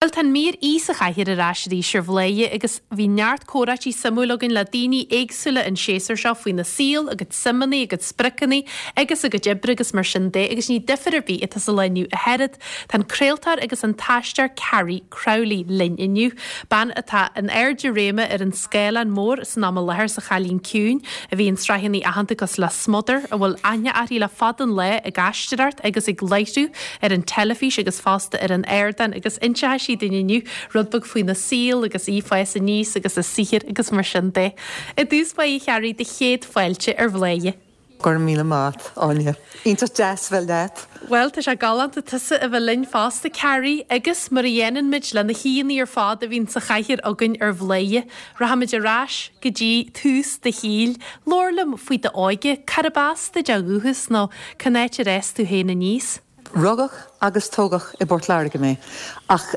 Bhuel, tá an mír Aoi sa Chathaoir ar ais arís ar Bhladhaire agus bhí neart comhráití suimiúil againn le daoine éagsúla an séasúr seo faoina saol, a gcuid suimeanna, a gcuid spriocanna agus a gcuid oibre agus mar sin de agus ní difear ar bith atá sa lá inniu a Shearad. Tá an craoltóir agus an t-aisteoir Carrie Crowley linn inniu, bean atá in airde réime ar an scáileán mór san am i láthair sa Chailín Ciúin, a bhí in sraitheanna aitheanta cosúil le Smother, a bhfuil aithne uirthi le fada an lá ag aisteoireacht agus ag láithriú ar an teilifís agus fosta ar an ardán agus inseoidh sí dúinn inniu rud beag faoina saol agus í ag fás aníos agus a saothar agus mar sin de. I dtús báire a Charrie, do chéad fáilte ar Bhladhaire. Go raibh míle maith, Áine. Iontach deas bheith leat. Bhuel, tá sé galánta tusa a bheith linn fosta, Carrie, agus mar a dhéanann muid le na haíonna ar fad a bhíonn sa chathaoir againn ar Bhladhaire, rachaimid ar ais go dtí tús do shaoil. Labhair liom faoi d'óige, cárb as duit ó dhúchas nó Cén áit ar fhás tú féin aníos? Rugadh agus tógadh i bPort Láirge mé, ach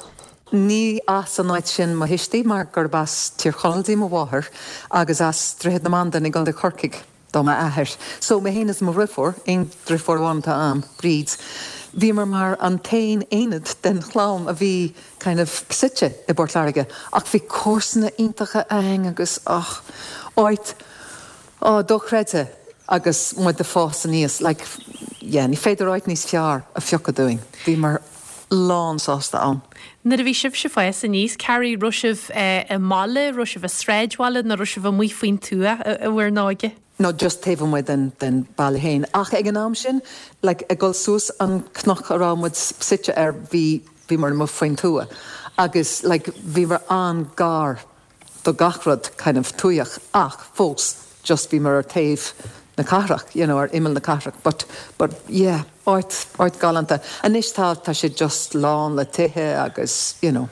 ní as an áit sin mo thuistí mar gurb as Tír Chonaill di mo mháthair agus as Droichead na Bandan i gContae Chorcaigh do m'athair. So, mé féin is mo dhriofúr, aon driofúr amháin atá a'm, Bríd, bhíomar mar an t-aon aonad den chlann a bhí kind of suite i bPort Láirge ach bhí comharsana iontacha a'ainn agus, och, áit Á, dochreidte agus muid ag fás aníos, like, yeah, ní féidir áit níos fearr a phiocadh dúinn. Bhíomar lán sásta ann. Nuair a bhí sibhse ag fás aníos, Carrie, raibh sibh i mbaile, raibh sibh i sráidbhaile nó raibh sibh amuigh faoin tuath i bhur n-óige? No, just taobh amuigh den, den baile féin. Ach ag an am sin, like, ag dul suas an cnoc a raibh muid suite air, bhí, bhíomar amuigh faoin tuath agus, like, bhíomar an-gar do gach rud kind of tuaitheach ach fós just bhíomar ar taobh na cathrach, you know, ar imeall na cathrach but, but yeah, áit, áit galánta. Anois tá, tá sé just lán le tithe agus you know,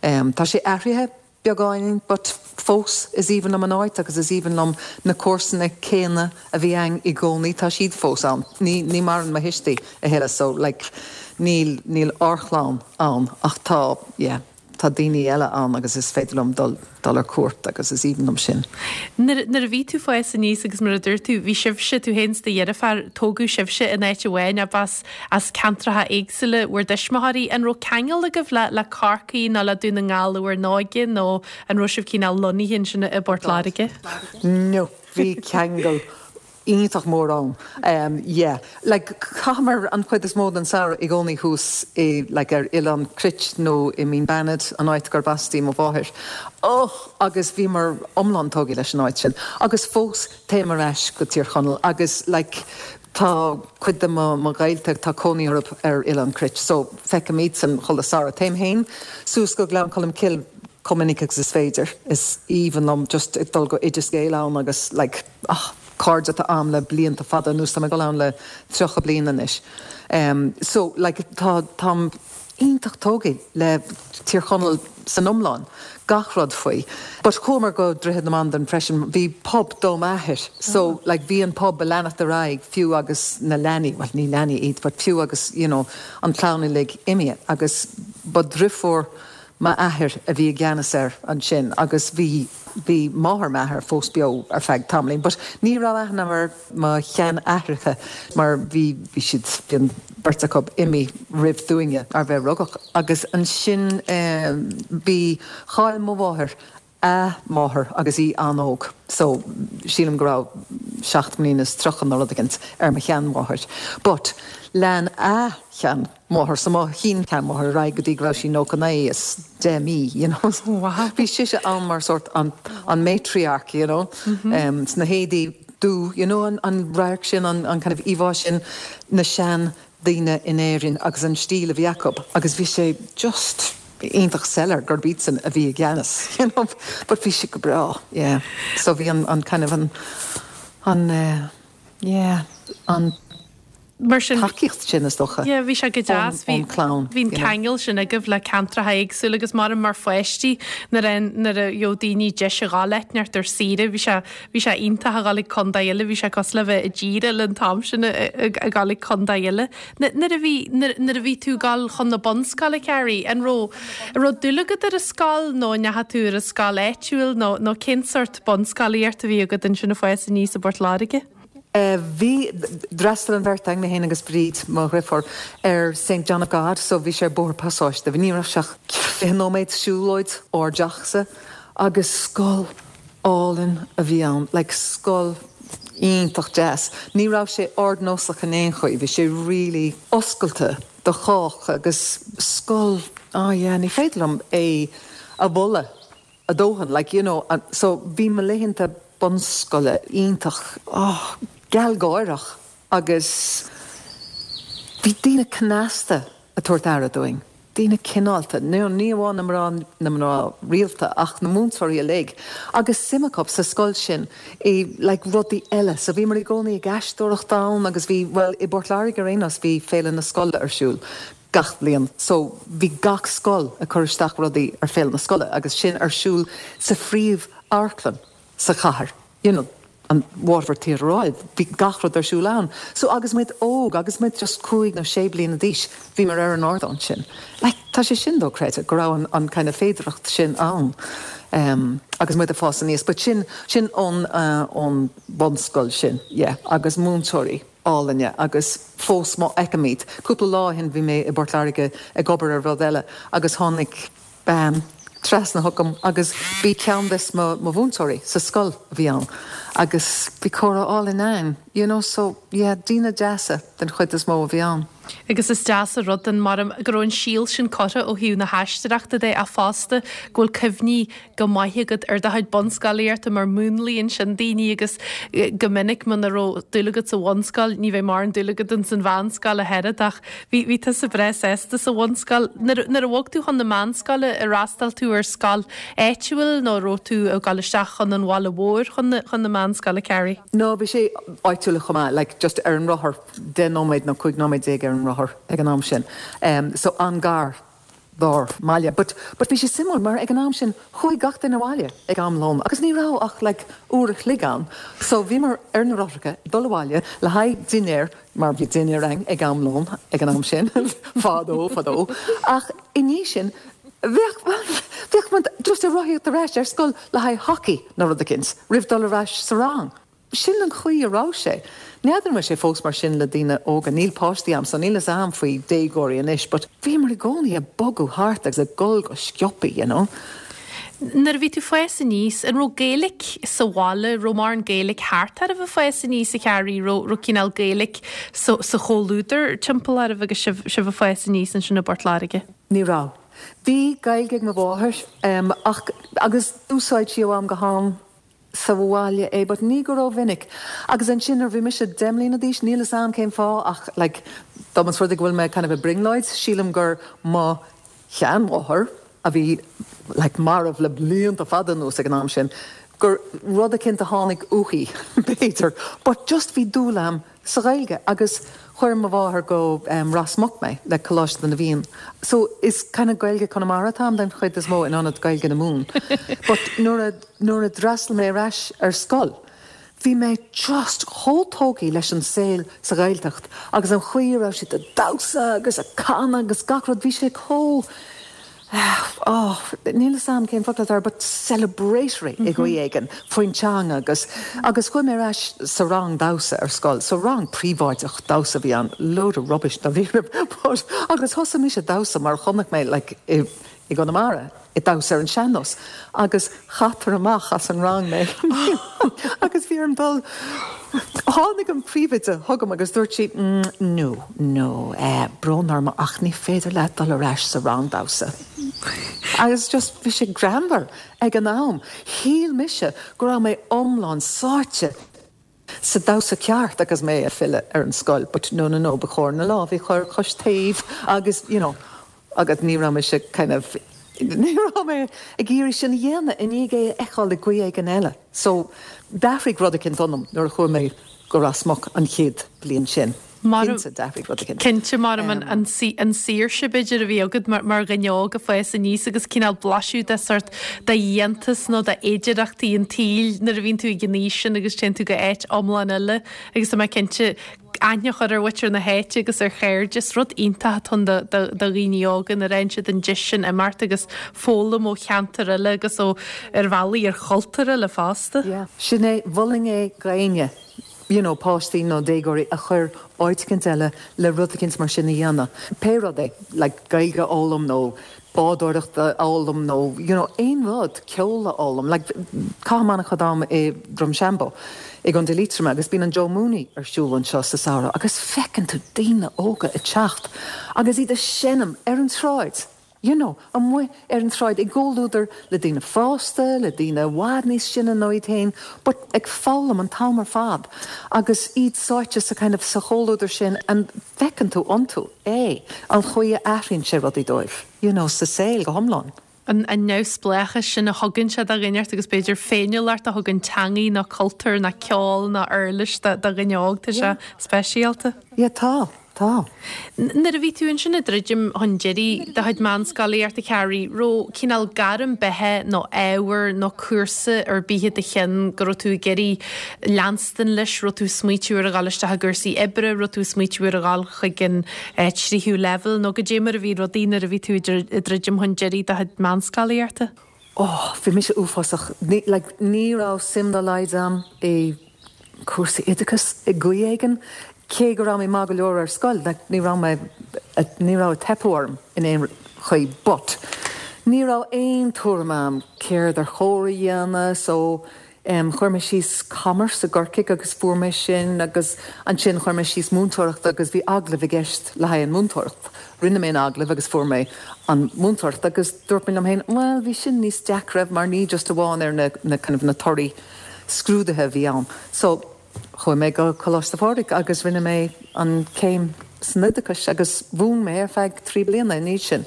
em, tá sé athraithe beagáinín but fós is aoibhinn liom an áit agus is aoibhinn liom na comharsana céanna a bhí a'inn i gcónaí, tá siad fós ann. Ní, ní maireann mo thuistí a thuilleadh so like níl, níl ár chlann ann ach tá, yeah. Tá daoine eile ann agus is féidir liom dul dul ar cuairt agus is aoibhinn liom sin. Nuair nuair a bhí tú ag fás aníos agus mar a dúirt tú, bhí sibhse, tú féin is do dheirfiúr, tógadh sibhse in áit amháin ach b'as as ceantracha éagsúla bhur dtuismitheoirí. An raibh ceangal agaibh le le Corcaigh nó le Dún na nGall i bhur n-óige nó an raibh sibh cineál lonnaithe ansin i bPort Láirge? No, bhí ceangal iontach mór ann. Yeah. Like, chaitheamar an chuid is mó den samhradh i gcónaí thuas i, like, ar Oileán Cruit nó i Mín Banad, an áit gurb as di mo mháthair. Och! Agus bhíomar iomlán tógtha leis an áit sin. Agus fós téim ar ais go Tír Chonaill agus, like, tá cuid de mo, mo ghaolta, tá cónaí orthu ar Oileán Cruit so feicim iadsan chuile samhradh. Téim féin suas go Gleann Cholm Cille chomh minic agus is féidir. Is aoibhinn liom just ag dul go Oideas Gael ann agus, like, ah, cairde atá a'm le blianta fada anuas, tá mé ag dul ann le 30 bliain anois. So, like, tá, táim iontach tógtha le Tír Chonaill san iomlán, gach rud faoi. But chuamar go Droichead na Bandan freisin, bhí pub do m'athair, so, like, bhí an pub ag leanacht ar aghaidh fiú agus na leanaí, well ní leanaí iad, but fiú agus, you know, an clann uilig imithe agus ba driofúr m'athair a bhí i gceannas air ansin agus bhí, bhí máthair m'athar fós beo ar feadh tamaillín but ní raibh aithne agam ar mo sheanaithreacha mar bhí, bhí siad, bhí an bheirt acu imithe roimh dúinne, ar bheith rugadh agus ansin eh bhí, chaill mo mháthair a máthair agus í an-óg so sílim go raibh 7 mbliana is 30 nó rud éicint ar mo sheanmháthair but lean a shean. máthair, so mo shin-sheanmháthair ar aghaidh go dtí go raibh sí 99 is 10 mí, you know. Wow. Bhí sise ann mar sórt an, an matriarch, you know, sna héadaí dubh, you know, an, an radharc sin, an, an kind of íomhá sin, na sean daoine in Éirinn agus an stíl a bhí acu agus bhí sé just iontach soiléir gurb iadsan a bhí i gceannas, you know, but bhí sé go breá, yeah. So bhí an, an kind of an, an eh, yeah, an. Mar sin, tacaíocht sin, is dócha, yeah, bhí sé go deas, bhí, ón chlann, bhí an you know. ceangal sin agaibh le ceantracha éagsúla agus mar mar pháistí nuair a nuair a gheobhadh daoine deis a ghabháil áit inteacht ar saoire, bhí sé bhí sé iontach a ghabháil ag contae eile, bhí sé cosúil le bheith i dtír eile an t-am sin ag gabháil ag contae eile. Nuair a bhí nuair nuair a bhí tú ag gabháil chun na bunscoile, Carrie, an raibh an raibh dúil agat ar an scoil nó an ndeachaigh tú ar an scoil áitiúil nó nó cén sort bunscolaíocht a bhí agat ansin ag fás aníos i bPort Láirge? Bhí, d'fhreastail an bheirt againn, mé féin agus Bríd, mo dhriofúr, ar Saint John of God, so bhí sé ar Bóthar Pasáiste, ní raibh sé ach 20 nóiméad siúlóid ár dteachsa agus scoil álainn a bhí ann, like scoil iontach deas. Ní raibh sé ardnósach in aon chaoi, bhí sé really oscailte do chách agus scoil, ah yeah, ní féidir liom é a mholadh. a dóthain, like, you know, so bhí mo laethanta bunscoile iontach, oh, gealgháireach agus bhí daoine cneasta ag tabhairt aire dúinn, daoine cineálta, you know, ní amháin na mná, na mná rialta ach na múinteoirí uilig agus suim acu sa scoil sin i, like, rudaí eile, so bhíomar i gcónaí ag aisteoireacht ann agus bhí, bhuel, i bPort Láirge ar aon nós bhí Féile na Scoile ar siúl. gach bliain so bhí gach scoil ag cur isteach rudaí ar Féile na Scoile agus sin ar siúl sa phríomh amharclann sa chathair you know an Waterford Theatre Royal bhí gach rud ar siúl ann so agus muid óg agus muid just cúig nó sé bliana d'aois bhíomar ar an ardán sin like tá sé sin dochreidte go raibh an an kind of féidireacht sin ann um agus muid ag fás aníos but sin sin ón uh ón bunscoil sin yeah agus múinteoirí. álainne agus fós má fheicim iad. Cúpla lá ó shin bhí mé i bPort Láirge ag obair ar rud eile agus tháinig bean trasna chugam agus b'í ceann des mo mhúinteoirí sa scoil a bhí ann agus bhí comhrá álainn againn you know so yeah daoine deasa den chuid is mó a bhí ann. Agus is deas an rud an mar go raibh an síol sin curtha ó thaobh na haisteoireachta de ach fosta go bhfuil cuimhní go maith agat ar do chuid bunscolaíochta mar múnlaíonn sin daoine agus go minic muna raibh dúil agat sa bhunscoil ní bheidh mórán dúil agat ins an mheánscoil ach oiread ach bhí bhí tusa breá sásta sa bhunscoil. Nuair nuair a bhog tú chun na meánscoile ar fhreastail tú ar scoil áitiúil nó raibh tú ag dul isteach chun an bhaile mhóir chun na chun na meánscoile Carrie? No bhí sé áitiúil chomh maith like just ar an rothar 10 nóiméad nó 15 nóiméad ar an rothar ag an am sin so an-gar dár mbaile. But, but bhí sé suimiúil mar ag an am sin chuaigh gach duine abhaile ag am lóin agus ní raibh ach like uair a chloig ann so bhíomar ar na rothracha ag dul abhaile le haghaidh dinnéar mar bhí dinnéar againn ag am lóin ag an am sin fadó fadó ach i ndiaidh sin bheadh, bheadh muid just ag rothaíocht ar ais ar scoil le haghaidh hockey nó rud eicínt roimh dul ar ais sa rang. Sin an chaoi a raibh sé. N'fheadar an bhfuil sé fós mar sin le daoine óga, níl páistí a'm so níl fhios a'm faoi déagóirí anois but bhíomar i gcónaí ag bogadh thart agus ag dul go sciobthaí, you know. Nuair a bhí tú fás aníos, an raibh Gaeilic sa bhaile, raibh mórán Gaeilic thart oraibh ag fás aníos a Charrie, raibh, raibh cineál Gaeilic sa, sa chomhluadar timpeall oraibh agus sibh, sibh ag fás aníos ansin i bPort Láirge? Ní raibh. Bhí Gaeilge ag mo mháthair ach, agus d'úsáid sí ó am go ham sa bhaile é but ní go rómhinic agus ansin nuair bhí mise 10 mbliana d'aois níl fhios a'm cén fáth ach like dá mba rud é go bhfuil mé kind of i brionglóid sílim gur mo sheanmháthair a bhí like marbh le blianta fada anuas ag an am sin gur rud eicínt a tháinig uaithi b'fhéidir but just bhí dúil a'm sa Ghaeilge agus chuir mo mháthair go Ros Muc mé le Coláiste na bhFiann. So is kind of Gaeilge Conamara atá a'm den chuid is mó in ionad Gaeilge na Mumhan. But nuair a nuair a d'fhreastail mé ar ais ar scoil bhí mé just chomh tógtha leis an saol sa Ghaeltacht agus an chaoi a raibh siad ag damhsa agus ag canadh agus gach rud bhí sé chomh oh, níl fhios a'm cén focal atá air, but celebratory i gcaoi éigin faoin teanga agus, agus chuaigh mé ar ais sa rang damhsa ar scoil, so rang príobháideach damhsa a bhí ann, load of rubbish dáiríre, but agus thosaigh mise damhsa mar chonaic mé like i, i gConamara ag damhsa ar an sean-nós agus chaitear amach as an rang mé agus bhí orm dul Tháinig an príomhoide chugam agus dúirt sí, No, no, eh, brón orm ach ní féidir leat dul ar ais sa rang damhsa. Agus just bhí sé greannmhar ag an am. Shíl mise go raibh mé iomlán sáite sa damhsa ceart agus mé ag filleadh ar an scoil but no, no, no, ba chóir na lámha a chur cois taobh agus, you know, agus ní raibh mise kind of, ní raibh mé ag iarraidh sin a dhéanamh i ndiaidh é a fheiceáil i gcaoi éigin eile. So, d'athraigh rud eicínt ionam nuair a chuaigh mé go Ros Muc an chéad bhliain sin. Cinnte, d'athraigh rud eicínt. Cinnte, mar an saoirse b'fhéidir a bhí agat mar dhuine óg ag fás aníos agus cineál blaiseadh de sort de iontas nó de fhéidireachtaí an tsaoil nuair a bhíonn tú ag an aois sin agus téann tú go áit iomlán eile agus tá mé cinnte aithne a chur ar mhuintir na háite agus ar chairde. Is rud iontach atá ann do dhaoine óga nuair a fhaigheann siad an deis sin imeacht agus foghlaim ó cheantar eile agus ó, ar bhealaí, ar chultúr eile fosta. Yeah. Sin é, mholfainn é d'éinne. you know páistí nó déagóirí a chur áit eicínt eile le rud eicínt mar sin a dhéanamh. Pé rud é, like Gaeilge a fhoghlaim nó bádóireacht a fhoghlaim nó you know aon rud, ceol a fhoghlaim. Like caithim an-chuid am i Drumshanbo i gContae Liatroma agus bíonn an Joe Mooney ar siúl anseo sa samhradh agus feiceann tú daoine óga ag teacht agus iad ag seinm ar an tsráid. you know, amuigh ar an tsráid i gcomhluadar le daoine fásta, le daoine i bhfad níos sine ná iad féin, but ag foghlaim an t-am ar fad agus iad sáite sa kind of, sa chomhluadar sin and feiceann tú iontu é, an chaoi a athraíonn sé rudaí dóibh, you know, sa saol go hiomlán. An neamhspleáchas sin a thugann sé do dhuine inteacht agus b'fhéidir féiniúlacht a thugann teangaidh nó cultúr nó ceol nó uirlis do dhuine óg, tá sé speisialta. Yeah, tá. Tá. Nuair a bhí tú ansin ag druidim chun deiridh do chuid meánscolaíochta, a Carrie, raibh cineál gairm beatha nó ábhar nó cúrsa ar bith i do cheann go raibh tú ag iarraidh leanstan leis, raibh tú ag smaoitiú ar a dhul isteach i gcúrsaí oibre, raibh tú ag smaoitiú ar a dhul chuig an tríú leibhéal nó goidé mar a bhí rudaí nuair a bhí tú ag druidim chun deiridh do chuid meánscolaíochta? Oh, bhí mise uafásach. Ní, like, ní raibh suim dá laghad a'm i cúrsaí oideachais i gcaoi éigin. Cé go raibh mé maith go leor ar scoil, like, ní raibh mé, ní raibh ag teipeadh orm in aon chaoi but ní raibh aon tuairim a'm céard ar chóir a dhéanamh so em chuir mé síos commerce i gCorcaigh agus fuair mé sin agus ansin chuir mé síos múinteoireacht agus bhí agallamh i gceist le haghaidh an múinteoireacht. Rinne mé an agallamh agus fuair mé an mhúinteoireacht agus dúirt mé liom féin bhuel bhí sin níos deacra mar ní just amháin ar na na kind of na torthaí scrúduithe a bhí ann. So chuaigh mé go Coláiste Phádraig agus rinne mé an céim san oideachais agus mhúin mé ar feadh 3 bliana ina dhiaidh sin.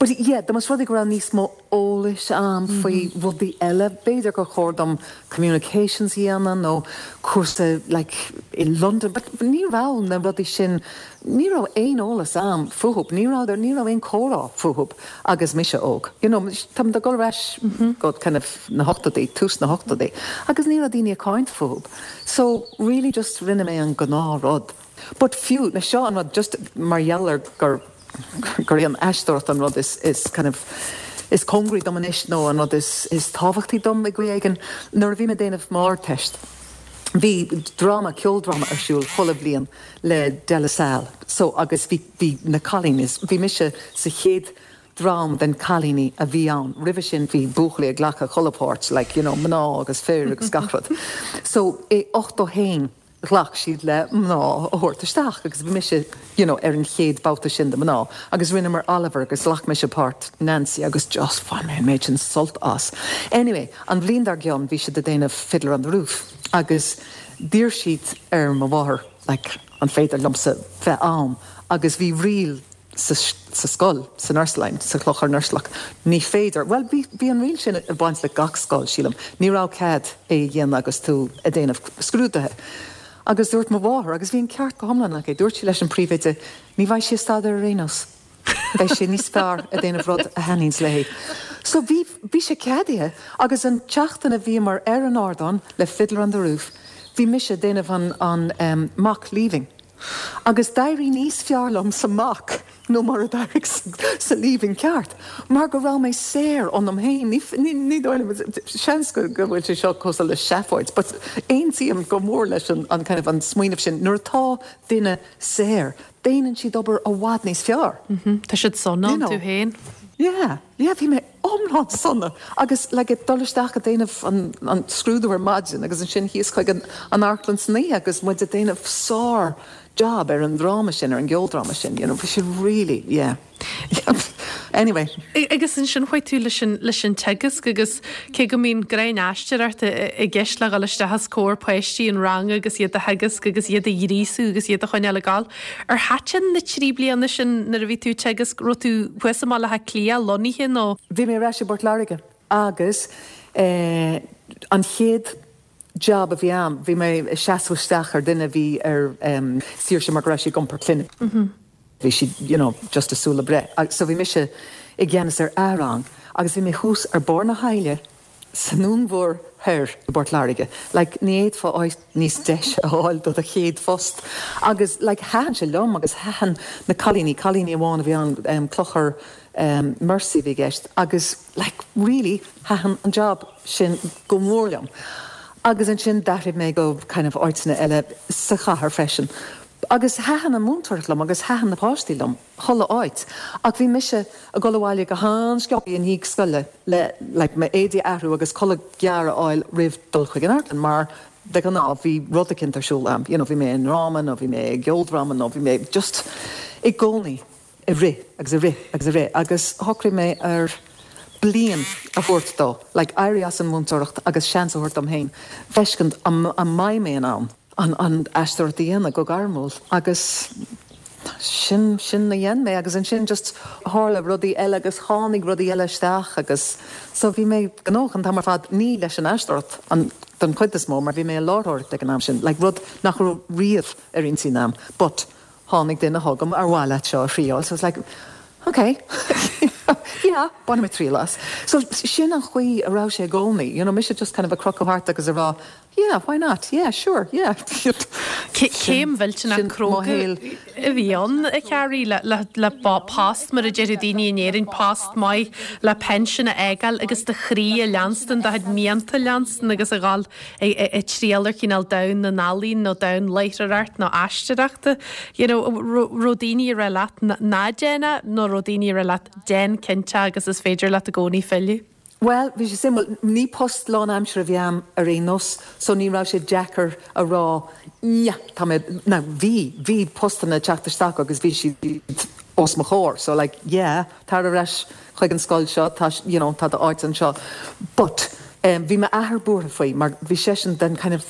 But yeah, dá mba rud é go raibh níos mó eolais a'm faoi rudaí eile, b'fhéidir gur chóir dom communications a dhéanamh nó cúrsa like i London but ní raibh na rudaí sin, ní raibh aon eolas a'm fúthub, ní raibh, ní raibh aon comhrá fúthub agus mise óg. You know, táim ag dul ar ais go kind of na hochtóidí, tús na hochtóidí agus ní raibh daoine ag caint fúthub. So really just rinne mé an gnáth rud. But fiú, na seo an rud just mar gheall ar gur gur í an aisteoireacht an rud is is kind of is cóngaraí dom anois nó an rud is is tábhachtaí dom i gcaoi éigin. Nuair a bhí mé ag déanamh m'Ardteist bhí dráma, ceoldráma ar siúl chuile bhliain le De La Salle so agus bhí bhí na cailíní, bhí mise sa chéad dream den cailíní a bhí ann. Roimhe sin bhí buachaillí ag glacadh chuile pháirt like you know mná agus fir agus gach rud. So i 81 ghlac siad le mná a thabhairt isteach agus bhí mise you know ar an chéad babhta sin de mná agus rinneamar Oliver agus ghlac mise páirt Nancy agus just bhain mé an méid sin sult as. Anyway, an bhliain dár gcionn bhí siad ag déanamh Fiddler on the Roof agus d'iarr siad ar mo mháthair like an féidir liomsa bheith ann agus bhí riail sa scoil, san Ursuline, sa Chlochar Ursulach. Ní féidir, bhuel, bhí, bhí an riail sin ag baint le gach scoil, sílim. Ní raibh cead é a dhéanamh agus tú ag déanamh scrúduithe. Agus dúirt mo mháthair, agus bhí an ceart go hiomlán aici, dúirt sí leis an príomhoide, ní bheidh sí ag staidéar ar aon nós. Beidh sí níos fearr ag déanamh rud a thaitníonns léi. So bhí, bhí sé ceadaithe agus an tseachtain a bhíomar ar an ardán le Fiddler on the Roof, bhí mise ag déanamh an, an eh, mock leaving. Agus d'éirigh níos fearr liom sa mock nó mar a d'éirigh sa leaving ceart, mar go raibh mé saor ionam féin. Ní dóigh liom, seans go bhfuil sé seo cosúil le seafóid, but aontaím go mór leis an kind of an smaoineamh sin, nuair atá duine saor, déanann siad obair i bhfad níos fearr. Tá siad sona iontu féin. Yeah, yeah, bhí mé iomlán sona agus like ag dul isteach ag déanamh an an scrúdú ar maidin agus ansin thíos chuig an an amharclann san oíche agus muid ag déanamh sár job ar an dráma sin, ar an gceoldráma sin, you know, bhí sé really, yeah. Anyway. Agus ansin chuaigh tú leis an leis an teagasc agus cé go mbíonn gráin aisteoireachta i gceist le dhul isteach os comhair páistí an ranga agus iad a theagasc agus iad a ghríosú agus iad a choinneáil ag gabháil, Ar thaitin na 3 bliana sin nuair a bhí tú ag teagasc, raibh tú thuas i mBaile Átha Cliath lonnaithe nó? Bhí mé ar ais i bPort Láirge agus an chéad job a bhí a'm, bhí mé ag seasamh isteach ar duine a bhí ar saoirse mar go raibh sí ag iompar clainne. Bhí sí you know just ag súil le breith. So bhí mise i gceannas ar a rang agus bhí mé thuas ar barr na haille Sa nDún Mhór Thoir i bPort Láirge. Like, ní fhéadfá áit níos deise a fháil do do chéad phost. Agus, like, thaitin sé liom agus thaitin na cailíní, cailíní amháin a bhí ann, em, Clochar, em, Mercy a bhí i gceist, agus, like, really, thaitin an job sin go mór liom. Agus ansin d'athraigh mé go kind of áiteanna eile sa chathair freisin. Agus thaitin an mhúinteoireacht liom agus thaitin na páistí liom, chuile áit. Ach bhí mise ag dul abhaile go han-sciobtha i ndiaidh scoile le like m'éadaí a athrú agus codladh gearr a fháil roimh dul chuig an amharclann mar de ghnáth bhí rud eicínt ar siúl a'm, you know bhí mé i ndráma nó bhí mé i gceoldráma nó bhí mé just i gcónaí ag rith agus ag rith agus ag rith agus shocraigh mé ar bliain a thabhairt dó, like éirí as an mhúinteoireacht agus seans a thabhairt dom féin feiscint an mbeidh mé in ann an aisteoireacht a dhéanamh go gairmiúil agus sin, sin a dhein mé agus ansin just tharla rudaí eile agus tháinig rudaí eile isteach agus so bhí mé gnóthach an t-am ar fad, ní leis an aisteoireacht an don chuid is mó mar bhí mé ag láithreoireacht ag an am sin, like rud nach raibh riamh ar intinn a'm but tháinig duine chugam ar mhaith leat seo a thriáil so I was like ok yeah bainfidh mé triail as. So sin an chaoi a raibh sé i gcónaí, you know mise just kind of ag crochadh thart agus ag rá yeah why not yeah sure yeah. Céim mhillteanach cróga a bhí ann, a Chearraí, le post, mar a déarfadh daoine in Éirinn, post maith le pension a fhágáil agus do chroí a leanstan, do chuid mianta a leanstan agus a dhul ag triall ar chineál domhan na n-ealaíon nó domhan láithreoireacht nó aisteoireachta. You know, raibh daoine ag rá leat ná déan é nó raibh daoine ag rá leat déan cinnte agus is féidir leat i gcónaí filleadh? Bhuel, bhí sé suimiúil. Ní post lánaimseartha a bhí a'm ar aon nós so ní raibh sé deacair a rá yeah, tá mé, now bhí, bhí postanna ag teacht isteach agus bhí siad os mo chomhair so like yeah, tar ar ais chuig an scoil seo, tá, you know, tá d'áit anseo. But em bhí m'athair buartha faoi mar bhí seisean den kind of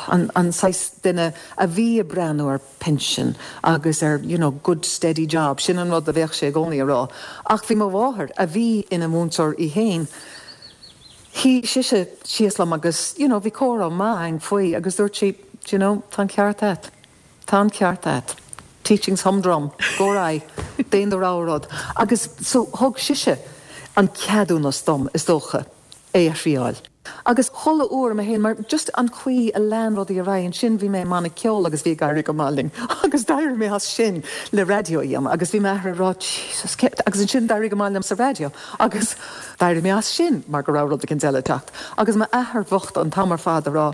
an, an saghas duine a bhí ag breathnú ar pension agus ar, you know, good steady job, sin an rud a bheadh sé i gcónaí a rá. Ach bhí mo mháthair, a bhí ina múinteoir í féin, shuigh sise síos liom agus, you know, bhí comhrá maith againn faoi agus dúirt sí, do you know, tá an ceart agat. Tá an ceart agat. Teaching's humdrum. Go ar aghaidh. Déan do rogha rud. Agus so thug sise an ceadúnas dom, is dócha, é a thriáil. Agus chuile uair mé féin, mar just an chaoi a lean rudaí ar aghaidh, ansin bhí mé i mbanna ceoil agus bhí ag éirí go maith linn agus d'éirigh mé as sin le raidió a dhéanamh agus bhí m'athair ag rá Jesus cé agus ansin d'éirigh go maith liom sa raidió agus d'éirigh mé as sin mar go raibh rud éicint eile ag teacht agus m'athair bhocht an t-am ar fad ag rá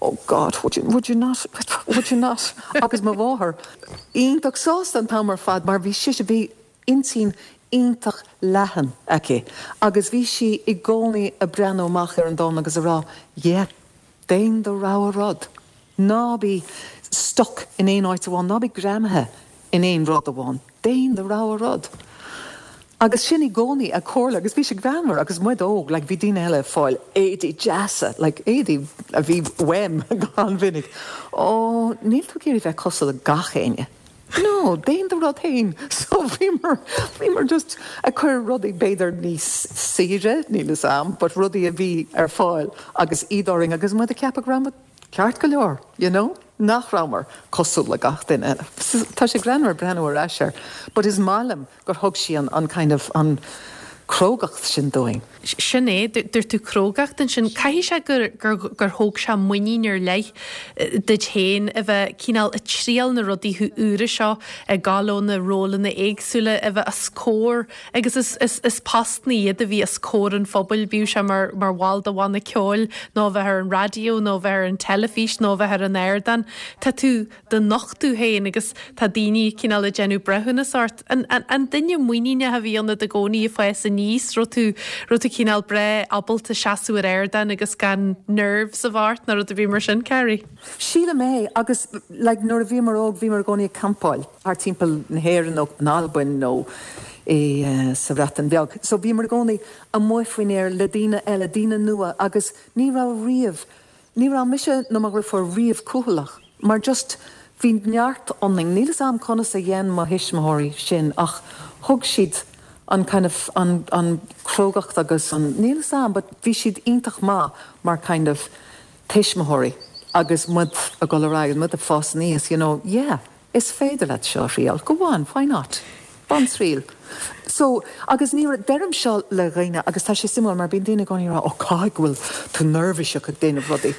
Oh God, would you, would you not, would you not? Agus mo mháthair iontach sásta an t-am ar fad mar bhí sise, bhí intinn iontach leathan aici agus bhí sí i gcónaí ag breathnú amach ar an domhan agus ag rá yeah, déan do rogha rud, ná bí stuck in aon áit amháin, ná bí greamaithe in aon rud amháin, déan do rogha rud. Agus sin i gcónaí a comhairle agus bhí sé greannmhar agus muid óg, like bhí daoine eile ag fáil éadaí deasa, like éadaí a bhí uaim go han-mhinic. Ó, níl tú ag iarraidh bheith cosúil le gach éinne. No, déan do rud féin. So bhíomar, bhíomar just ag cur rudaí b'fhéidir níos saoire, níl fhios a'm, but rudaí a bhí ar fáil agus iad orainn agus muid ag ceapadh go raibh muid ceart go leor, you know, nach rabhamar cosúil le gach duine eile. Tá sé greannmhar breathnú ar ais air, but is maith liom gur thug sí an, an kind of, an crógacht sin dúinn. Sin é, dúirt tú crógacht ansin. Caithfidh sé gur, gur, gur thóg sé muinín ar leith duit féin a bheith cineál ag triail na rudaí úra seo, ag gabháil ó na rólanna éagsúla, a bheith os comhair Agus is, is, is postanna iad a bhí os comhair an phobail, bíodh sé mar, mar bhall de bhanna ceoil, nó a bheith ar an raidió, nó a bheith ar an teilifís, nó a bheith ar an ardán. Tá tú do nochtadh féin agus tá daoine cineál ag déanamh breithiúnas ort. An, an, an duine muiníneach a bhí ionat i gcónaí ag fás aníos? Raibh tú, raibh tú cineál breá ábalta seasamh ar ardán agus gan nerves a bheith ort nó rud ar bith mar sin, Carrie? Sílim é, agus like nuair a bhíomar óg bhíomar i gcónaí ag campáil thart timpeall na hÉireann nó in Albain nó i sa Bhreatain Bheag. So bhíomar i gcónaí amuigh faoin aer le daoine eile, daoine nua agus ní raibh riamh, ní raibh mise nó mo dhriofúr riamh cúthaileach mar just bhí neart ionainn. Níl 'fhios a'm conas a dhein mo thuismitheoirí sin ach thug siad an kind of an an crógacht agus an, níl 'fhios a'm but bhí siad iontach maith mar kind of tuismitheoirí agus muid ag dul ar aghaidh, muid ag fás aníos, you know, yeah, is féidir leat seo a thriail, go on, why not? Bain triail. So, agus ní, deirim seo le dhaoine agus tá sé suimiúil mar bíonn daoine i gcónaí ag rá, oh caithfidh go bhfuil tú neirbhíseach ag déanamh rudaí.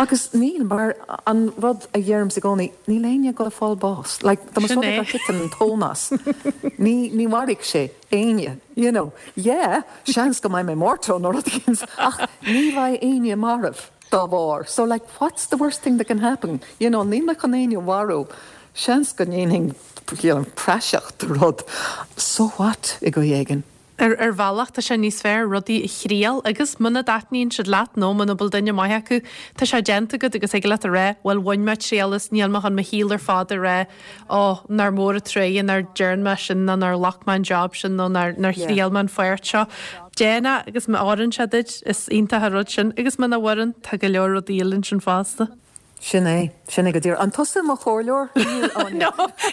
Agus níl, mar an rud a dheirimse i gcónaí, níl éinne ag dul ag fáil bás. Like, dá mba Sin rud é é. gur thit an tóin as, ní, ní mhairfidh sé éinne, you know. Yeah, seans go mbeidh mé mórtasach nó rud éigin, ach ní bheidh éinne marbh. dá bharr. So like what's the worst thing that can happen? You know, níl mé chun éinne a mharú. Seans go ndéanfainn you know, praiseach de rud. So what i gcaoi éigin? Ar ar bhealach, tá sé níos fearr rudaí a thriail agus muna dtaitníonn siad leat nó muna bhfuil duine maith acu, tá sé déanta agat agus thig leat a rá, bhuel bhain mé triail as, níl mé chun mo shaol ar fad a rá, ó, nár mhór an truaighe nár dhearn mé sin nó nár ghlac mé an job sin nó nár nár thriail mé an pháirt seo. Déan é agus má oireann sé duit, is iontach an rud sin agus muna bhfoireann, tá go leor rudaí eile ansin fosta. Sin é, sin é go díreach. An tusa mo chomhairleoir? Níl, Áine. No,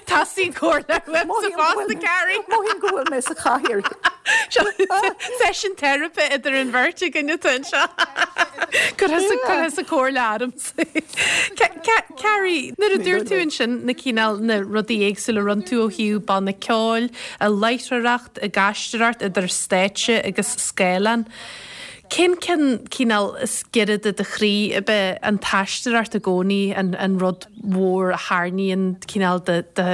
teastaíonn comhairle uaimse fosta, Carrie. Mothaím go bhfuil mé sa chathaoir. Seo seisiún teiripe idir an bheirt againn atá anseo. Cuir thusa comhairle ormsa. Carrie, nuair a dúirt tú ansin na cineál na rudaí éagsúla a rinne tú ó thaobh banna ceoil, láithreoireacht, ag aisteoireacht idir stáitse agus scáileán, Cén ceann cineál is giorra do do chroí? Ab é an t-aisteoireacht i gcónaí an an rud mhór a tharraingíonn cineál do do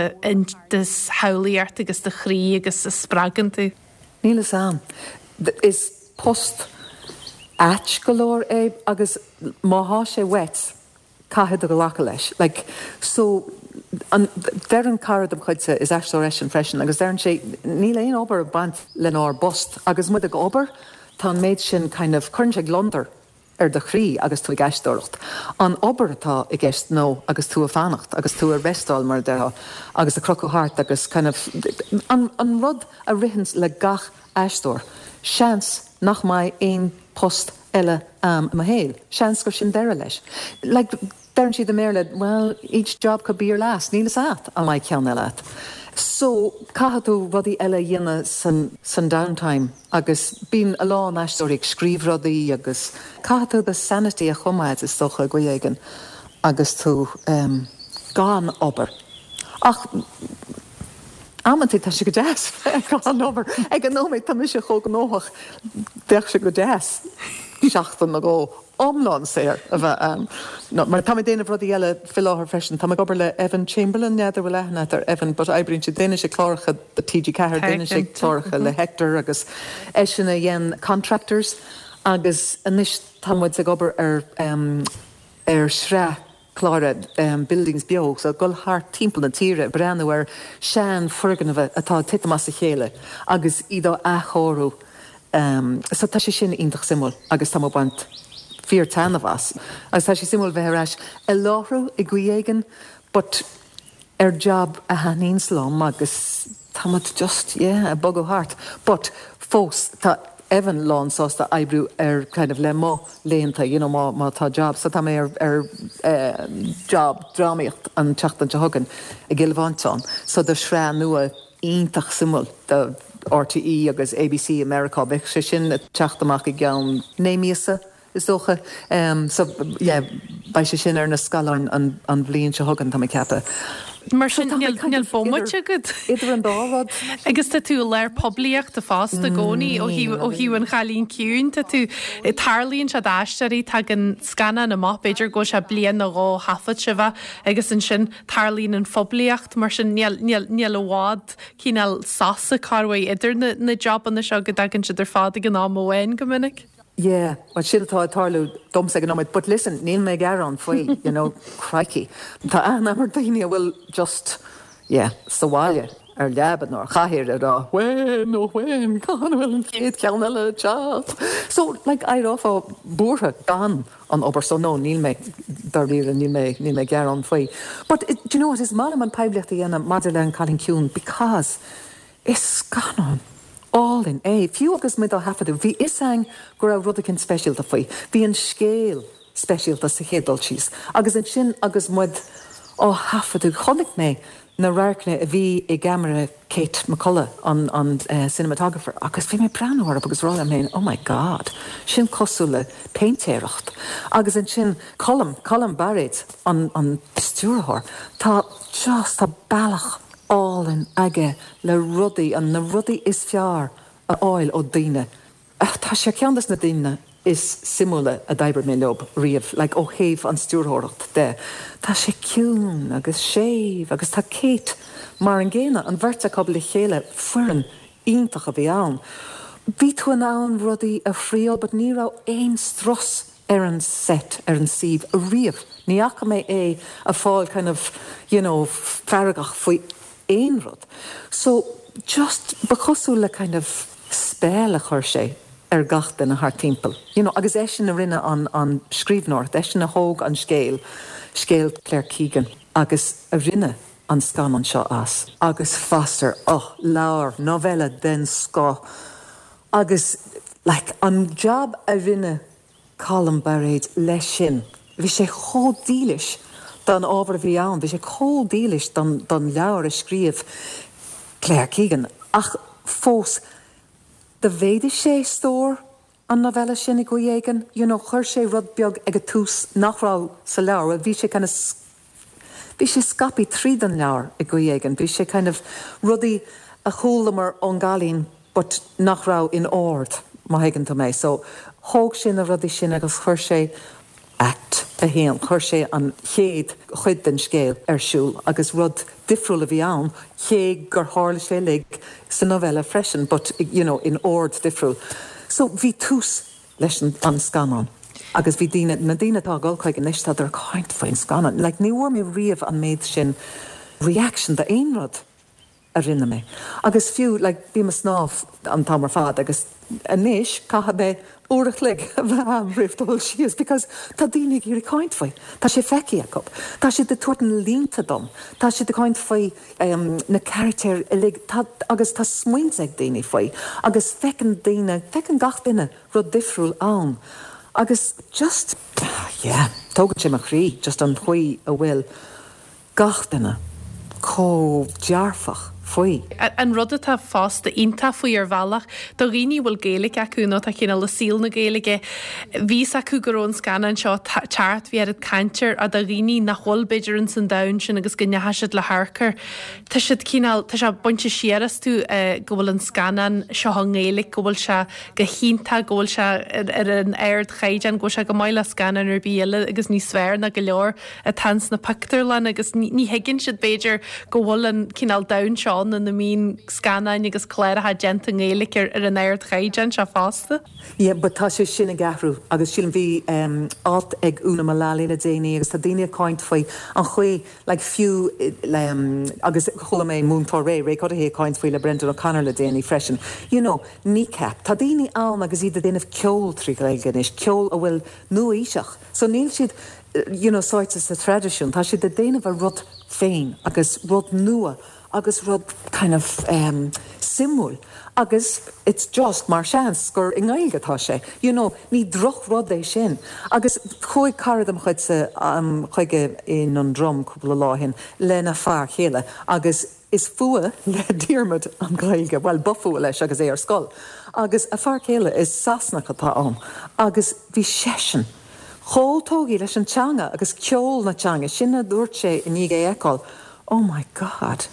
do shamhlaíocht agus do chroí agus a spreagann tú? Níl fhios a'm. Is post ait go leor é agus má thá sé uait, caithfidh tú glacadh leis. Like, so, an, deireann cara dem chuidse, is aisteoir eisean freisin, agus deireann sé, níl aon obair ag baint lenár bpost, agus muid ag obair, tá an méid sin kind of, cuireann sé gliondar ar do chroí agus tú ag aisteoireacht. An obair atá i gceist nó agus tú ag fanacht, agus tú ag restáil mar a déarfá, agus ag crochadh thart agus kind of, an, an rud a ritheanns le gach aisteoir, seans nach mbeidh aon post eile a'm i mo shaol. Seans gur sin deireadh leis. Like, deireann siad i mBéarla, well, each job could be your last. Níl fhios a'at an mbeidh ceann eile a'at. So, caithfidh tú rudaí eile a dhéanamh san, san downtime agus bíonn a lán aisteoirí ag scríobh rudaí agus caithfidh tú do sanity a choimeád, is dócha, i gcaoi éigin agus tú, em, gan obair. Ach amantaí tá sé go deas bheith gan obair. Ag an nóiméad tá mise chomh gnóthach, bheadh sé go deas seachtain nó dhó iomlán saor a bheith ann. No, mar tá mé ag déanamh rudaí eile faoi láthair freisin. Tá mé ag obair le Evan Chamberlain, n'fheadar bhfuil aithne agat ar Evan, but oibríonn sé, déanann sé cláracha do TG4, déanann sé cláracha le Hector agus eisean a dhein Contractors agus anois tá muid ag obair ar, ar shraith clár Buildings Beo, so ag dul thart timpeall na tíre ag breathnú ar sean foirgnimh atá ag titim as a chéile agus iad á athchóiriú. So tá sé sin iontach suimiúil agus tá mé ag baint fíor taitneamh as. Agus tá sé suimiúil bheith ar ais ag láithriú i gcaoi éigin but ar job a thaitníonns liom agus tá muid just, yeah, ag bogadh thart. But fós tá Evan lán sásta oibriú ar kind of le mo laethanta, you know, má, má tá job. So tá mé ar, ar eh, job drámaíocht an tseachtain seo chugainn i gCill Mhantáin. So do shraith nua iontach suimiúil do RTÉ agus ABC i Meiriceá. Beidh sé sin ag teacht amach i gceann 9 míosa. Is dócha. So, yeah, beidh sé sin ar na scáileáin an bhliain seo chugainn, tá mé ag ceapadh. Mar sin, níl, níl bomaite agat. Idir an dá rud. Agus tá tú i lár poiblíochta fosta i gcónaí ó thaobh, ó thaobh an Chailín Ciúin. Tá tú, tarlaíonn sé d'aisteoirí, tagann scannán amach, b'fhéidir go bhfuil sé bliain nó dhó ó thaifead sibh é agus ansin tarlaíonn an phoiblíocht. Mar sin, níl, níl, níl i bhfad cineál sosa corruair idir na, na jobanna seo go dtagann siad ar fad ag an am amháin go minic. Yeah, bhuel sin atá ag tarlú domsa ag an nóiméad, but listen, níl mé ag gearán faoi, you know, crikey. Tá aithne agam ar daoine a bhfuil just, yeah, sa bhaile, ar leaba nó ar chathaoir ag rá, when, oh when, cathain a bhfuil an chéad cheann eile ag teacht? So, like, éireofá buartha gan an obair, so no, níl mé, dáiríre, níl mé, níl mé ag gearán faoi. But, do you know what, is maith liom an poiblíocht a dhéanamh maidir le An Cailín Ciúin because Is scannán álainn é. Fiú agus muid á thaifeadadh, bhí fhios a'inn go raibh rud eicínt speisialta faoi. Bhí an scéal speisialta sa chéad dul síos. Agus ansin agus muid á thaifeadadh, chonaic mé na radharcanna a bhí i gceamara Kate McCullough, an an cinematographer, agus bhí mé ag breathnú orthu agus ag rá liom féin, oh my God, sin cosúil le péintéireacht. Agus ansin Colm, Colm Bairéad, an an stiúrthóir, tá just, tá bealach álainn aige le rudaí, na rudaí is fearr a fháil ó daoine. Tá sé ar ceann des na daoine is suimiúla a d'oibrigh mé leob riamh, like ó thaobh an stiúrthóireacht de. Tá sé ciúin agus séimh agus tá Kate mar an gcéanna, an bheirt acu le chéile, foireann iontach a bhí ann. Bhí tú in ann rudaí a thriail but ní raibh aon strus. ar an set, ar an suíomh ariamh. Ní fhaca mé é ag fáil kind of, you know, feargach faoi aon rud. So, just, ba chosúil le kind of spell a chuir sé ar gach duine thart timpeall, you know, agus eisean a rinne an, an scríbhneoireacht, eisean a thóg an scéal, scéal Claire Keegan, agus a rinne an scannán seo as. Agus Foster, oh, leabhar, novella den scoth agus like an job a rinne Colm Bairéad leis sin, bhí sé chomh dílis don ábhar a bhí ann, bhí sé chomh dílis don don leabhar a scríobh Claire Keegan ach fós do mhéadaigh sé stór an novella sin i gcaoi éigin, you know chuir sé rud beag ag an tús nach raibh sa leabhar, bhuel bhí sé kind of bhí sé scaipthe tríd an leabhar i gcaoi éigin, bhí sé kind of rudaí a chualamar ón gcailín but nach raibh in ord, má thuigeann tú mé. So thóg sé na rudaí sin agus chuir sé Act 1, chuir sé an chéad chuid den scéal ar siúl agus rud difriúil a bhí ann, cé gur tharla sé uilig sa novella freisin but you know in ord difriúil. So bhí tús leis an scannán agus bhí daoine, na daoine atá ag dul chuige anois, tádar ag caint faoin scannán. Like ní bhfuair mé riamh an méid sin reaction d'aon rud a rinne mé. Agus fiú, like, bím ag snámh an t-am ar fad agus anois caithfidh mé uair a chloig a bheith a'm roimh dul síos because tá daoine ag iarraidh caint faoi. Tá sé feicthe acu. Tá siad ag tabhairt na línte dom. Tá siad ag caint faoi na carachtair uilig. Tá, agus tá smaointe ag daoine faoi. Agus feiceann daoine, feiceann gach duine rud difriúil ann. Agus just, yeah, tógann sé mo chroí just an chaoi a bhfuil gach duine chomh dearfach faoi. An rud atá fosta iontach faoi ar bhealach, do dhaoine a bhfuil Gaeilge acu nó atá cineál i saol na Gaeilge, bhí fhios acu go raibh an scannán seo ag teacht, bhí oiread caint air, ach do dhaoine nach bhfuil b'fhéidir ins an domhan sin agus go ndeachaigh siad le hamharc air, tá siad cineál, tá sé bainte siar astu go bhfuil an scannán seo i nGaeilge, go bhfuil sé go hiontach, go bhfuil sé ar an ardchaighdeán, go bhfuil sé go maith le scannán ar bith eile agus níos fearr ná go leor atá ins na pictiúrlanna agus ní thuigeann siad, b'fhéidir, go bhfuil an cineál domhan seo ann ina mbíonn scannáin agus cláracha déanta i nGaeilge ar ar an ardchaighdeán seo fosta. Yeah, but tá sé sin ag athrú agus sílim, bhí alt ag Úna Mullally le déanaí agus tá daoine ag caint faoi an chaoi, like fiú agus chuala mé Múinteoir Ray, Ray Cuddihy ag caint faoi le Brendan O'Connor le déanaí freisin, you know, Kneecap, tá daoine ann agus iad ag déanamh ceol trí Ghaeilge anois, ceol a bhfuil nua-aoiseach, so níl siad, you know, sáite sa traidisiún, tá siad ag déanamh a rud féin agus rud nua agus rud kind of em suimiúil agus it's just mar seans gur i nGaeilge atá sé, you know, ní drochrud é sin. Agus chuaigh cara de mo chuidse chuige i nDundrum cúpla lá ó shin lena fear chéile agus Is fuath le Diarmuid an Ghaeilge, bhuel, ba fuath leis agus é ar scoil. Agus a fear céile, is Sasanach atá ann, agus bhí seisean chomh tógtha leis an teanga agus ceol na teanga, sin a dúirt sé i ndiaidh é a fheiceáil, Oh my God,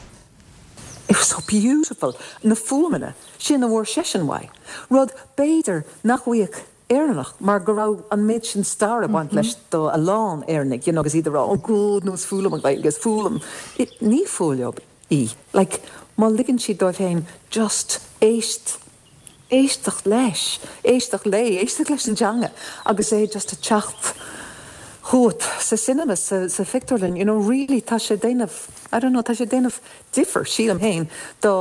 it was so beautiful, na fuaimeanna sin a bhfuair seisean uaidh, rud b'fhéidir nach bhfaigheadh Éireannach mar go raibh an méid sin stair ag baint leis do a lán Éireannaigh, you know, agus iad ag rá, oh God, no, is fuath liom an Ghaeilge, is fuath liom. Ní fuath leo í. Like, má ligeann siad dóibh féin just éist, éisteacht leis, éisteacht léi, éisteacht leis an teanga agus é just ag teacht chugat sa cinema, sa, sa phictiúrlann, you know, really tá sé ag déanamh, I don't know, tá sé ag déanamh difear, sílim féin, do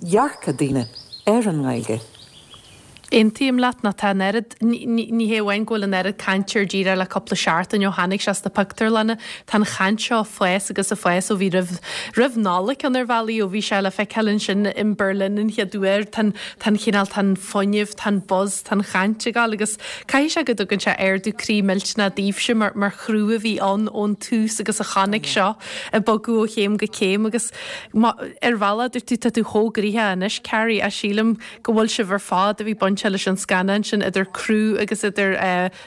dhearcadh daoine ar an nGaeilge. Aontaím leat nó tá an oiread, ní hé amháin go bhfuil an oiread cainte air díreach le cúpla seachtain ó tháinig sé sna pictiúrlanna, tá an chaint seo ag fás agus ag fás ó bhí roimh, roimh Nollaig ann ar bhealaí, ó bhí sé le feiceáil ansin in Berlin an chéad uair, tá an, tá an chineál, tá an fuinneamh, tá an buzz, tá an chaint ag gabháil agus caithfidh sé go dtugann sé ardú croí millteanach daoibhse mar, mar chriú a bhí ann ón tús agus a chonaic seo ag bogadh ó chéim go céim agus má, ar bhealach dúirt tú tá tú chomh gnoitheach anois Carrie, ach sílim go bhfuil sibh ar fad a bhí bainteach leis an scannán sin, idir criú agus idir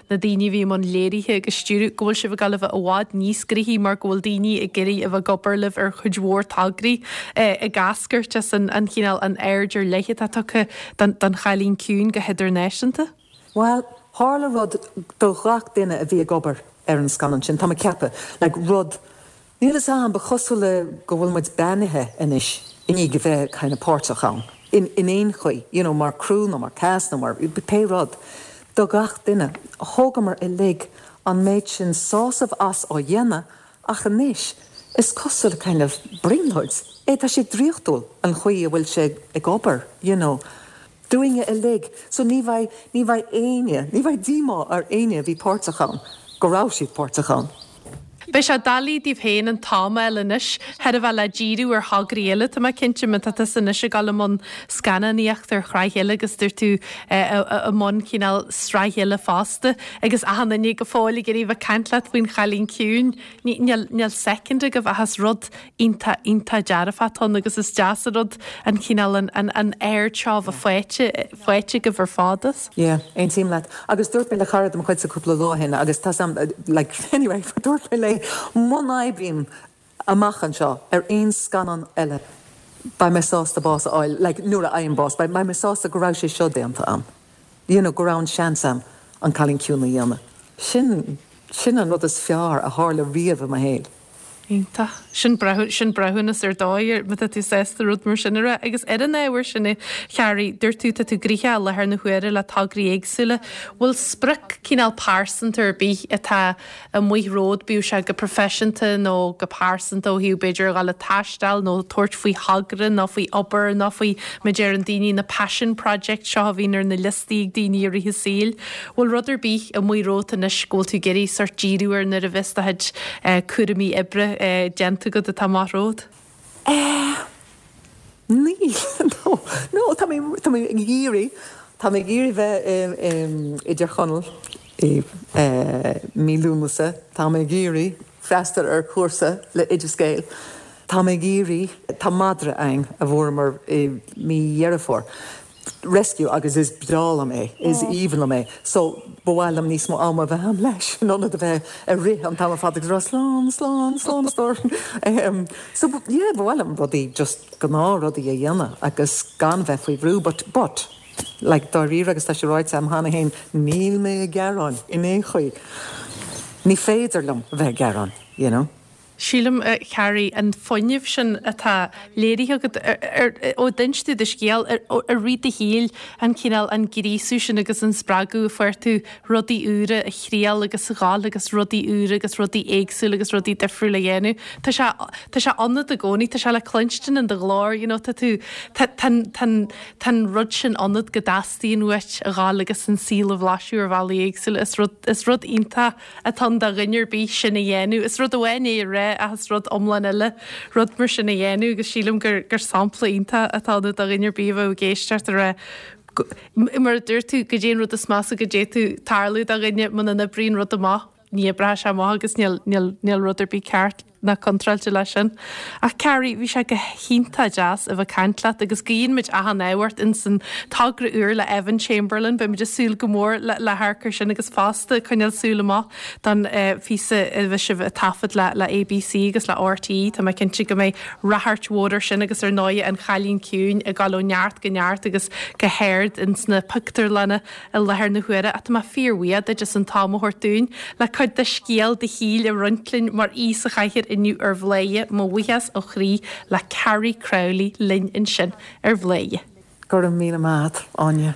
na daoine a bhí i mbun léirithe agus stiúradh, go bhfuil sibh ag dul a bheith i bhfad níos gnoithí mar go bhfuil daoine ag iarraidh a bheith ag obair libh ar chuid mhór tograí ag eascairt as an chineál, an aird ar leith atá tugtha don Chailín Ciúin go hidirnáisiúnta. Bhuel, tharla rud do ghach duine a bhí ag obair ar an scannán sin, tá mé ag ceapadh, like rud Níl fhios a'm, ba chosúil le go bhfuil muid beannaithe anois i ndiaidh a bheith kind of páirteach ann in in aon chaoi, you know, mar crew nó mar cast nó mar pé rud. Do gach duine. Thógamar uilig an méid sin sásamh as á dhéanamh ach anois is cosúil le kind of brionglóid é, tá sé draíochtúil an chaoi a bhfuil sé ag obair, you know. Dúinne uilig. So ní bheidh, ní bheidh éinne, ní bheidh díomá ar éinne a bhí páirteach ann go raibh siad páirteach ann. Beidh sé doiligh daoibh féin an t-am a fháil anois, chóir a bheith le díriú ar thograí eile. Tá mé cinnte, má tá tusa anois ag dul i mbun scannánaíocht ar shraith eile agus dúirt tú i mbun cineál sraith eile fosta agus achan duine go fóill ag iarraidh bheith ag caint leat faoin Chailín Ciúin. Níl, níl soicind agaibh ach is rud iontach, iontach dearfach atá ann agus is deas an rud an cineál, an, an, an aird seo a bheith faighte, faighte agaibh ar fad as. Yeah, aontaím leat. Agus dúirt mé le cara de mo chuidse cúpla lá ó shin agus tá sam, like, anyway, dúirt mé léi, muna oibrím amach anseo ar aon scannán eile, beidh mé sásta bás a fháil, like, nuair a fhaighim bás, beidh mé sásta go raibh sé seo déanta a'm. You know, go raibh an seans a'm An Cailín Ciúin a dhéanamh. Sin, sin an rud is fearr a tharla riamh i mo shaol. Iontach. Sin breithiú, sin breithiúnas ar dóigh, má tá tú sásta rud mar sin a rá. Agus ar an ábhar sin, a Charrie, dúirt tú, tá tú gnoitheach i láthair na huaire le tograí éagsúla. Bhfuil sprioc cineál pearsanta ar bith atá amuigh romhat, bíodh sé go proifisiúnta nó go pearsanta ó thaobh b'fhéidir a dhul ag taisteal nó tabhairt faoi thogra nó faoi obair nó faoi, mar a deireann daoine, na passion projects seo a bhíonn ar na liostaí ag daoine i rith a saoil. Bhfuil rud ar bith amuigh romhat anois go bhfuil tú ag iarraidh sórt díriú air nuair a bheas do chuid cúraimí oibre déanta agat atá amach romhat? Eh, níl, no, no, tá mé, tá mé ag iarraidh, tá mé ag iarraidh bheith i, i dTír Chonaill i mí Lúnasa, tá mé ag iarraidh freastal ar chúrsa le Oideas Gael, tá mé ag iarraidh, tá madra againn a bhfuaireamar i mí Dheireadh Fómhair, rescue agus is breá liom é, is aoibhinn liom é. So, ba mhaith liom níos mó ama a bheith agam leis in ionad a bheith ag rith an t-am ar fad agus ag rá slán, slán, slán a stór. So, yeah, ba mhaith liom rudaí, just gnáthrudaí a dhéanamh agus gan bheith faoi bhrú but, but, like, dáiríre agus tá sé ráite agam cheana féin, níl mé ag gearán in aon chaoi. Ní féidir liom a bheith ag gearán, you know. Sílim, a Charrie, an fuinneamh sin atá léirithe agat ó d'inis tú do scéal i rith do shaoil, an cineál, an gríosadh sin agus an spreagadh a fuair tú rudaí úra a thriail agus a ghabháil agus rudaí úra agus rudaí éagsúla agus rudaí difriúla a dhéanamh. Tá sé, tá sé ionat i gcónaí, tá sé le cluinstin in do ghlór, you know, tá tú, tá, tá, tá, tá an rud sin ionat go dteastaíonn uait a ghabháil agus an saol a bhlaiseadh ar bhealaí éagsúla. Is rud, is rud iontach atá ann do dhuine ar bith sin a dhéanamh. Is rud amháin é a rá ach is rud iomlán eile rud mar sin a dhéanamh agus sílim gur gur sampla iontach atá ann do dhuine ar bith a bheadh ag éisteacht a rá mar a dúirt tú, goidé an rud is measa go d'fhéadfadh tarlú do dhuine muna n-oibríonn rud amach, ní oibreoidh sé amach agus níl níl níl rud ar bith ceart. ná contráilte leis sin. Ach Carrie, bhí sé go hiontach deas a bheith ag caint leat agus guíonn muid achan ádh ort ins an togra úr le Evan Chamberlain. Beidh muid ag súil go mór le le hamharc air sin agus fosta coinneáil súil amach don phíosa a bheidh sibh ag taifead le le ABC agus le RTÉ. Tá mé cinnte go mbeidh ráchairt mhór air sin agus ar ndóigh An Chailín Ciúin ag dul ó neart go neart agus go hard ins na pictiúrlanna i láthair na huaire ach tá mé fíorbhuíoch duit as an t-am a thabhairt dúinn le cuid de scéal do shaoil a roinnt linn mar aoi sa chathaoir inniu ar Bhladhaire. Mo bhuíochas ó chroí le Carrie Crowley linn ansin ar Bhladhaire. Go raibh míle maith agat, Áine.